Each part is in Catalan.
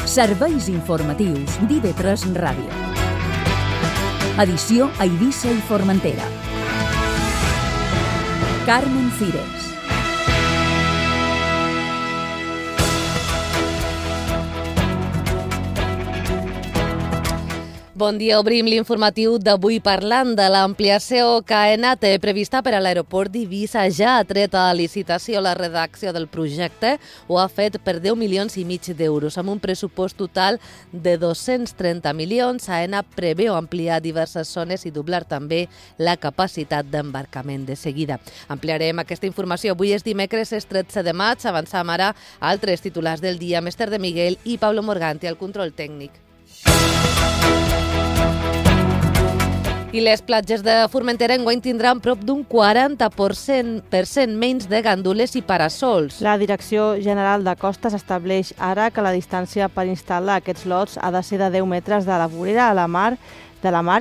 Serveis informatius d'IV3 Ràdio. Edició a Eivissa i Formentera. Carmen Cires. Bon dia, obrim l'informatiu d'avui parlant de l'ampliació que AENA té prevista per a l'aeroport d'Eivissa. Ja ha tret a licitació la redacció del projecte, ho ha fet per 10,5 milions d'euros. Amb un pressupost total de 230 milions, AENA preveu ampliar diverses zones i doblar també la capacitat d'embarcament. De seguida ampliarem aquesta informació. Avui és dimecres, és 13 de maig. Avançam ara a altres titulars del dia. Esther de Miguel i Pablo Morganti al control tècnic. I les platges de Formentera enguany tindran prop d'un 40% menys de gandules i parasols. La Direcció General de Costes estableix ara que la distància per instal·lar aquests lots ha de ser de 10 metres de la vorera a la mar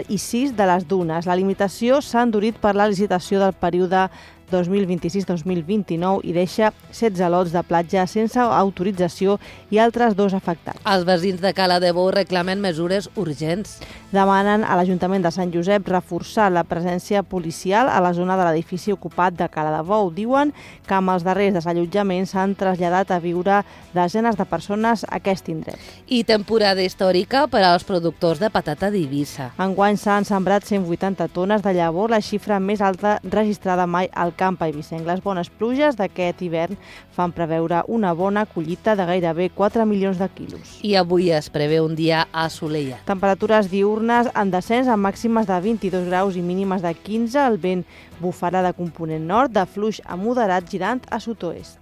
i 6 de les dunes. La limitació s'ha endurit per la licitació del període 2026-2029 i deixa 16 lots de platja sense autorització i altres 2 afectats. Els veïns de Cala de Bou reclamen mesures urgents. Demanen a l'Ajuntament de Sant Josep reforçar la presència policial a la zona de l'edifici ocupat de Cala de Bou. Diuen que amb els darrers desallotjaments s'han traslladat a viure desenes de persones a aquest indret. I temporada històrica per als productors de patata d'Eivissa. Enguany s'han sembrat 180 tones de llavor, la xifra més alta registrada mai al camp eivissenc. Les bones pluges d'aquest hivern fan preveure una bona collita de gairebé 4 milions de quilos. I avui es preveu un dia assolellat. Temperatures diurnes en descens amb màximes de 22 graus i mínimes de 15. El vent bufarà de component nord, de fluix a moderat girant a sud-oest.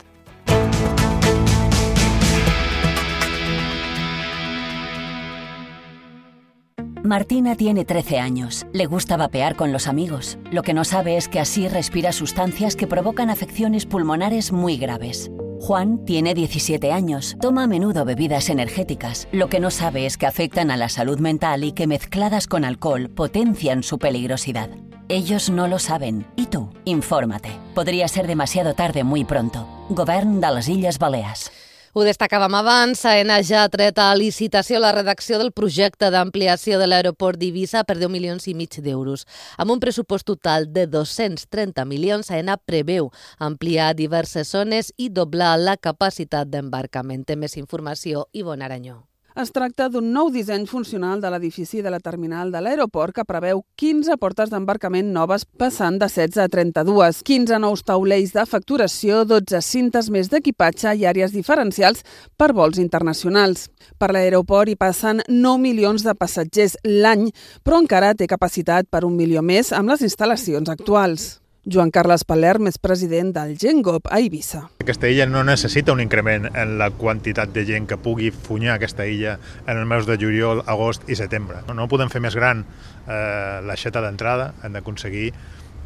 Martina tiene 13 años. Le gusta vapear con los amigos. Lo que no sabe es que así respira sustancias que provocan afecciones pulmonares muy graves. Juan tiene 17 años. Toma a menudo bebidas energéticas. Lo que no sabe es que afectan a la salud mental y que mezcladas con alcohol potencian su peligrosidad. Ellos no lo saben. ¿Y tú? Infórmate. Podría ser demasiado tarde muy pronto. Govern de les Illes Balears. Ho destacàvem abans, AENA ja ha tret a licitació la redacció del projecte d'ampliació de l'aeroport d'Eivissa per 10,5 milions d'euros. Amb un pressupost total de 230 milions, AENA preveu ampliar diverses zones i doblar la capacitat d'embarcament. Té més informació, Ivonne Aranyó. Es tracta d'un nou disseny funcional de l'edifici de la terminal de l'aeroport que preveu 15 portes d'embarcament noves passant de 16 a 32, 15 nous taulells de facturació, 12 cintes més d'equipatge i àrees diferencials per vols internacionals. Per l'aeroport hi passen 9 milions de passatgers l'any, però encara té capacitat per 1 milió més amb les instal·lacions actuals. Joan Carles Palerm és president del GenGop a Eivissa. Aquesta illa no necessita un increment en la quantitat de gent que pugui funyar aquesta illa en els mesos de juliol, agost i setembre. No podem fer més gran l'aixeta d'entrada, hem d'aconseguir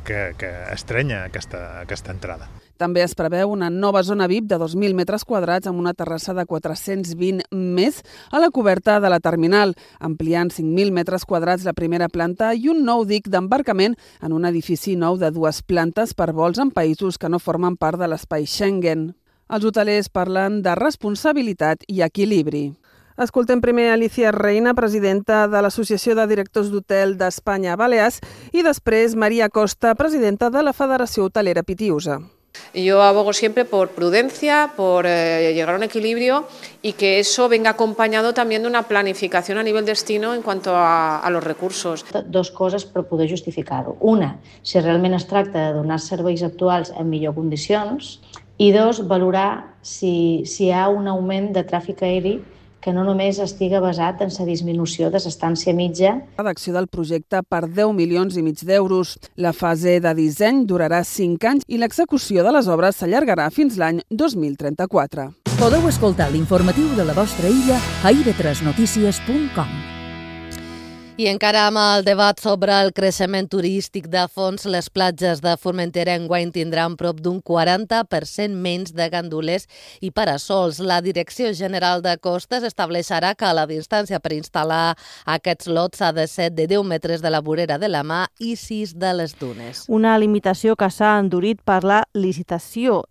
que estrenya aquesta entrada. També es preveu una nova zona VIP de 2.000 metres quadrats amb una terrassa de 420 més a la coberta de la terminal, ampliant 5.000 metres quadrats la primera planta i un nou dic d'embarcament en un edifici nou de 2 plantes per vols en països que no formen part de l'espai Schengen. Els hotelers parlen de responsabilitat i equilibri. Escoltem primer Alicia Reina, presidenta de l'Associació de Directors d'Hotel d'Espanya Balears, i després Maria Costa, presidenta de la Federació Hotelera Pitiusa. Yo abogo siempre por prudencia, por llegar a un equilibrio y que eso venga acompañado también de una planificación a nivel destino en cuanto a los recursos. 2 coses per poder justificar-ho. Una, si realment es tracta de donar serveis actuals en millor condicions, i 2, valorar si hi ha un augment de tràfic aeri que no només estiga basat en la disminució de l'estància mitja. Redacció del projecte per 10,5 milions d'euros. La fase de disseny durarà 5 anys i l'execució de les obres s'allargarà fins l'any 2034. Podeu escoltar l'informatiu de la vostra illa a ib3notícies.com. I encara amb el debat sobre el creixement turístic de fons, les platges de Formentera enguany tindran prop d'un 40% menys de gandules i parasols. La Direcció General de Costes estableixarà que la distància per instal·lar aquests lots ha de ser de 10 metres de la vorera de la mà i 6 de les dunes. Una limitació que s'ha endurit per la licitació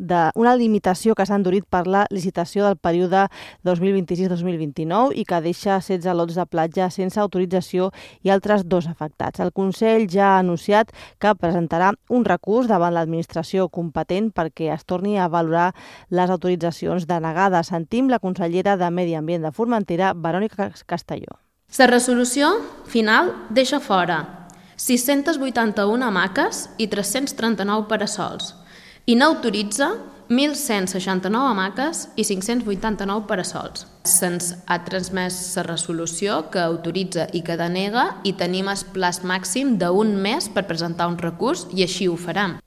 del període 2026-2029 i que deixa 16 lots de platja sense autorització i altres 2 afectats. El Consell ja ha anunciat que presentarà un recurs davant l'administració competent perquè es torni a valorar les autoritzacions denegades. Sentim la consellera de Medi Ambient de Formentera, Verònica Castelló. La resolució final deixa fora 681 hamaques i 339 parasols i n'autoritza 1.169 hamaques i 589 parasols. Se'ns ha transmès la resolució que autoritza i que denega i tenim el plaç màxim d'un mes per presentar un recurs i així ho farem.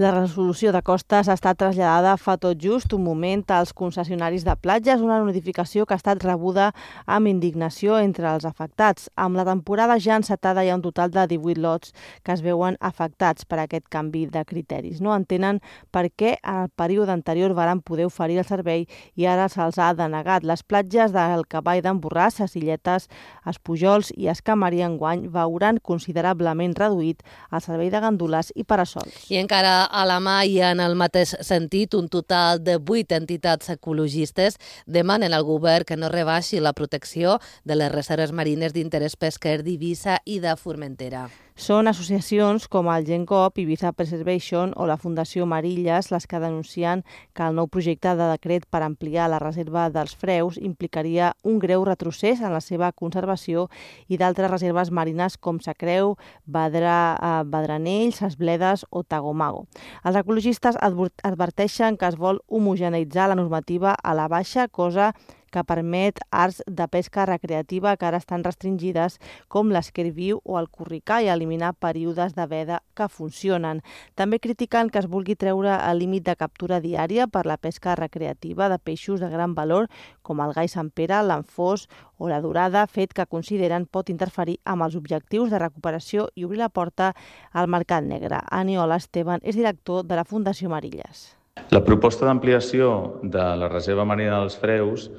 La resolució de Costes ha estat traslladada fa tot just un moment als concessionaris de platges, una notificació que ha estat rebuda amb indignació entre els afectats. Amb la temporada ja encetada hi ha un total de 18 lots que es veuen afectats per aquest canvi de criteris. No entenen per què en el període anterior varen poder oferir el servei i ara se'ls ha denegat. Les platges del Cavall d'en Borràs, les Illetes, els Pujols i els Camarí enguany veuran considerablement reduït el servei de gandules i parasols. I encara a la mà i en el mateix sentit, un total de 8 entitats ecologistes demanen al govern que no rebaixi la protecció de les reserves marines d'interès pesquer d'Eivissa i de Formentera. Són associacions com el GenCop, Ibiza Preservation o la Fundació Marilles les que denuncien que el nou projecte de decret per ampliar la reserva dels Freus implicaria un greu retrocés en la seva conservació i d'altres reserves marines com Sa Creu, Badranells, Ses Bledes o Tagomago. Els ecologistes adverteixen que es vol homogeneitzar la normativa a la baixa, cosa que permet arts de pesca recreativa que ara estan restringides com l'esquer-viu o el corricà i eliminar períodes de veda que funcionen. També critiquen que es vulgui treure el límit de captura diària per la pesca recreativa de peixos de gran valor com el gai Sant Pere, l'anfós o la dorada, fet que consideren pot interferir amb els objectius de recuperació i obrir la porta al mercat negre. Aniola Esteban és director de la Fundació Marilles. La proposta d'ampliació de la reserva marina dels Freus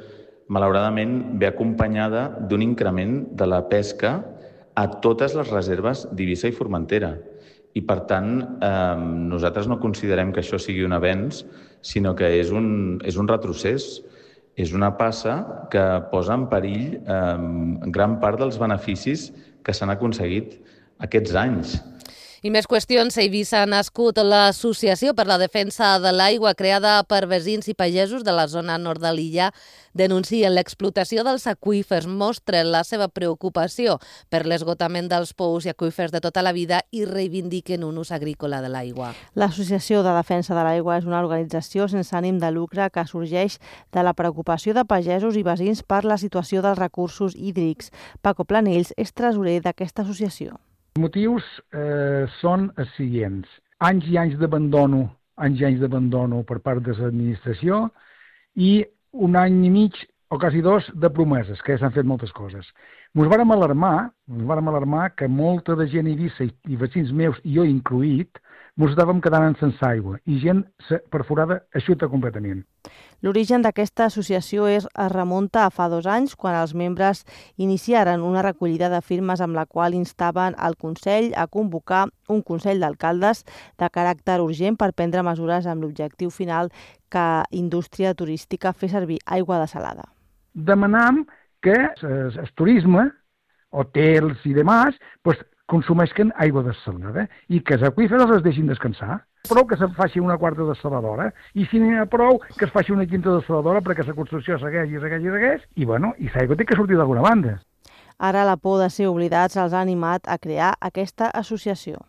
malauradament ve acompanyada d'un increment de la pesca a totes les reserves d'Eivissa i Formentera. I, per tant, nosaltres no considerem que això sigui un avenç, sinó que és un retrocés. És una passa que posa en perill gran part dels beneficis que s'han aconseguit aquests anys. I més qüestions. A Eivissa ha nascut l'Associació per la Defensa de l'Aigua, creada per veïns i pagesos de la zona nord de l'illa. Denuncien l'explotació dels aqüífers, mostren la seva preocupació per l'esgotament dels pous i aqüífers de tota la vida i reivindiquen un ús agrícola de l'aigua. L'Associació de Defensa de l'Aigua és una organització sense ànim de lucre que sorgeix de la preocupació de pagesos i veïns per la situació dels recursos hídrics. Paco Planells és tresorer d'aquesta associació. Els motius són els següents. Anys i anys d'abandono per part de l'administració i un any i mig o quasi 2 de promeses, que ja s'han fet moltes coses. Ens vàrem alarmar que molta de gent a Eivissa i veïns meus, i jo incloït, ens estàvem quedant sense aigua i gent perforada eixuta completament. L'origen d'aquesta associació es remunta a fa 2 anys, quan els membres iniciaren una recollida de firmes amb la qual instaven el Consell a convocar un Consell d'Alcaldes de caràcter urgent per prendre mesures amb l'objectiu final que indústria turística fer servir aigua desalada. Demanam que el turisme, hotels i demás, consumeixen aigua desalada i que els aqüífers els deixin descansar. Prou que se'n faci una quarta desaladora i si n'hi ha prou que es faci una quinta desaladora perquè la construcció segueix i l'aigua té que sortir d'alguna banda. Ara la por de ser oblidats els ha animat a crear aquesta associació.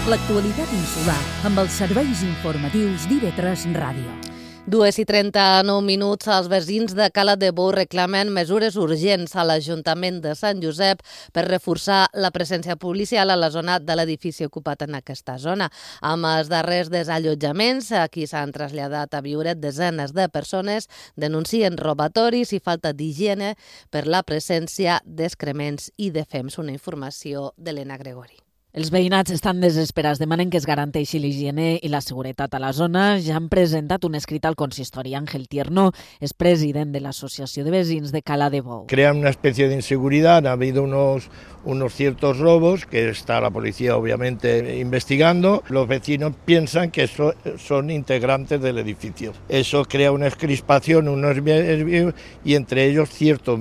L'actualitat insular amb els serveis informatius d'IV3 Ràdio. 2:39. Els veïns de Cala de Bou reclamen mesures urgents a l'Ajuntament de Sant Josep per reforçar la presència policial a la zona de l'edifici ocupat en aquesta zona. Amb els darrers desallotjaments, aquí s'han traslladat a viure desenes de persones, denuncien robatoris i falta d'higiene per la presència d'excrements i de fems. Una informació d'Helena Gregori. Els veïnats estan desesperats, demanen que es garanteixi l'higiene i la seguretat a la zona. Ja han presentat un escrit al consistori. Ángel Tierno es president de l'Asociació de Vecins de Cala de Bou. Crean una especie de inseguridad, ha habido unos ciertos robos que está la policía obviamente investigando. Los vecinos piensan que son integrantes del edificio. Eso crea una crispación, y entre ellos cierto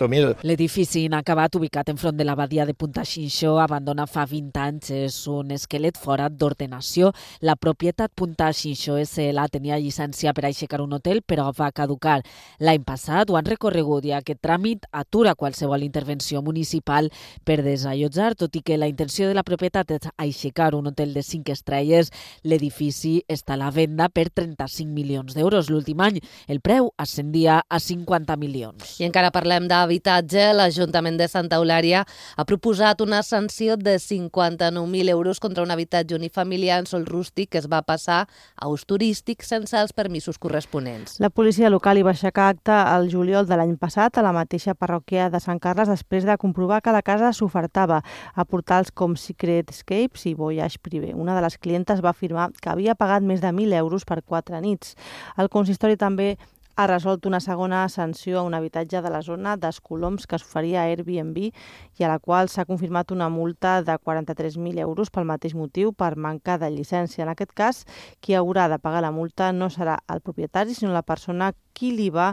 miedo. L'edifici inacabat, ubicat enfront de l'abadia de Punta Xinxó, abandona fa 20 anys, és un esquelet fora d'ordenació. La propietat Punta Xinxó SL tenia llicència per aixecar un hotel, però va caducar l'any passat. Ho han recorregut i aquest tràmit atura qualsevol intervenció municipal per desallotjar, tot i que la intenció de la propietat és aixecar un hotel de 5 estrelles. L'edifici està a la venda per 35 milions d'euros. L'últim any el preu ascendia a 50 milions. I encara parlem d'habitatge. L'Ajuntament de Santa Eulària ha proposat una sanció de 59.000 euros contra un habitatge unifamiliar en sòl rústic que es va passar a ús turístic sense els permisos corresponents. La policia local hi va aixecar acte el juliol de l'any passat a la mateixa parròquia de Sant Carles després de comprovar que la casa s'ofertava a portals com Secret Escapes i Voyage Privé. Una de les clientes va afirmar que havia pagat més de 1.000 euros per 4 nits. El consistori també ha resolt una segona sanció a un habitatge de la zona d'Escoloms que s'oferia a Airbnb i a la qual s'ha confirmat una multa de 43.000 euros pel mateix motiu, per manca de llicència. En aquest cas, qui haurà de pagar la multa no serà el propietari, sinó la persona qui li va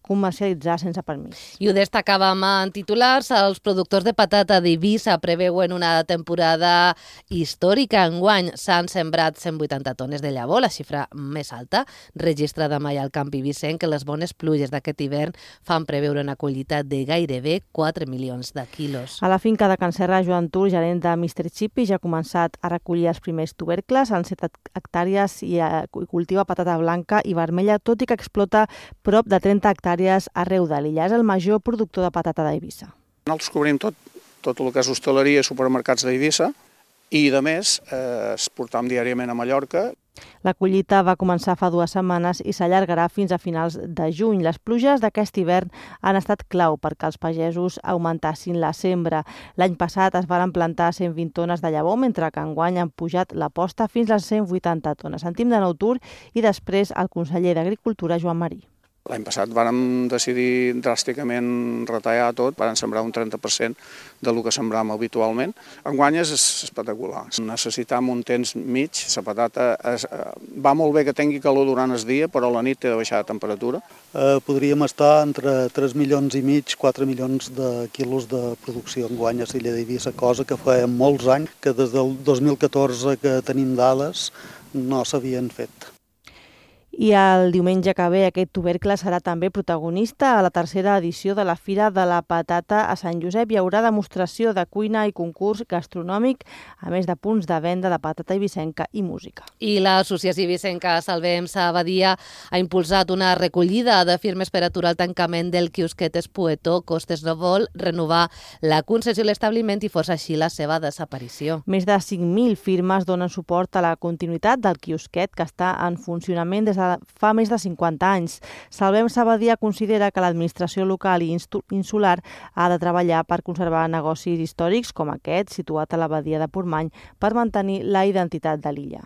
comercialitzar sense permís. I ho destacàvem en titulars. Els productors de patata d'Eivissa preveuen una temporada històrica. Enguany s'han sembrat 180 tones de llavor, la xifra més alta registrada mai al camp eivissenc, que les bones pluges d'aquest hivern fan preveure una collita de gairebé 4 milions de quilos. A la finca de Can Serra, Joan Tur, gerent de Mr. Chippy, ja ha començat a recollir els primers tubercles en 7 hectàrees i cultiva patata blanca i vermella, tot i que explota prop de 30 hectàrees arreu de l'illa. És el major productor de patata d'Eivissa. Nosaltres cobrim tot el que és hostaleria i supermercats d'Eivissa i, de més, exportam diàriament a Mallorca. La collita va començar fa 2 setmanes i s'allargarà fins a finals de juny. Les pluges d'aquest hivern han estat clau perquè els pagesos augmentassin la sembra. L'any passat es van plantar 120 tones de llavor, mentre que enguany han pujat la posta fins a 180 tones. Sentim de nou Tur i després el conseller d'Agricultura, Joan Marí. L'any passat vàrem decidir dràsticament retallar tot, vàrem sembrar un 30% del que sembràvem habitualment. Enguany és espectacular. Necessitam un temps mig. La patata va molt bé que tingui calor durant el dia, però a la nit té de baixar de temperatura. Podríem estar entre 3 milions i mig, 4 milions de quilos de producció enguany a l'illa d'Eivissa, cosa que fa molts anys que des del 2014 que tenim dades no s'havien fet. I el diumenge que ve aquest tubercle serà també protagonista a la tercera edició de la Fira de la Patata a Sant Josep. Hi haurà demostració de cuina i concurs gastronòmic, a més de punts de venda de patata eivissenca i música. I l'Associació Eivissenca Salvem Sabadia ha impulsat una recollida de firmes per aturar el tancament del quiosquet Espueto. Costes no vol renovar la concessió a l'establiment i força així la seva desaparició. Més de 5.000 firmes donen suport a la continuïtat del quiosquet, que està en funcionament des de fa més de 50 anys. Salvem Sabadia considera que l'administració local i insular ha de treballar per conservar negocis històrics com aquest, situat a la badia de Portmany, per mantenir la identitat de l'illa.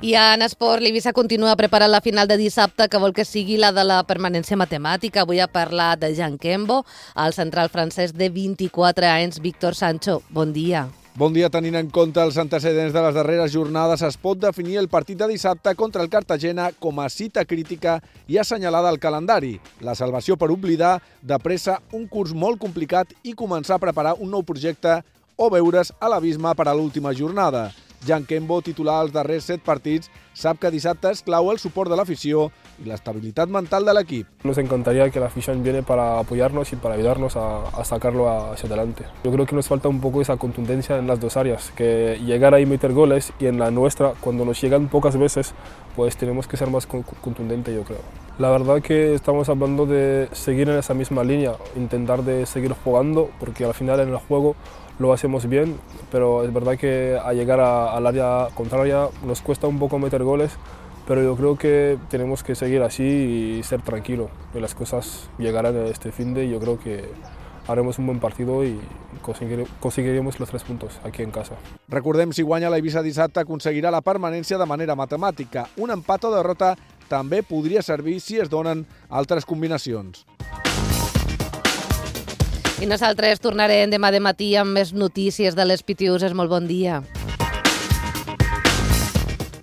I en esport, l'Eivissa continua preparant la final de dissabte, que vol que sigui la de la permanència matemàtica. Avui ha parlat de Jean Kembo, el central francès de 24 anys. Víctor Sancho, bon dia. Bon dia. Tenint en compte els antecedents de les darreres jornades, es pot definir el partit de dissabte contra el Cartagena com a cita crítica i assenyalada al calendari. La salvació per oblidar de pressa un curs molt complicat i començar a preparar un nou projecte o veure's a l'abisme per a l'última jornada. Jan Kembo, titular als darrers 7 partits, sap que dissabte és clau el suport de l'afició y la estabilidad mental del equipo. Nos encantaría que la afición viene para apoyarnos y para ayudarnos a sacarlo hacia adelante. Yo creo que nos falta un poco esa contundencia en las dos áreas, que llegar ahí y meter goles, y en la nuestra, cuando nos llegan pocas veces, pues tenemos que ser más contundentes, yo creo. La verdad que estamos hablando de seguir en esa misma línea, intentar de seguir jugando, porque al final en el juego lo hacemos bien, pero es verdad que al llegar al área contraria nos cuesta un poco meter goles, pero yo creo que tenemos que seguir así y ser tranquilos, que las cosas llegarán este fin de, y yo creo que haremos un buen partido y conseguiremos los 3 puntos aquí en casa. Recordem, si guanya la Eivissa dissabte, aconseguirà la permanència de manera matemàtica. Un empat o derrota també podria servir si es donen altres combinacions. I nosaltres tornarem demà de matí amb més notícies de les Pitiuses. Molt bon dia.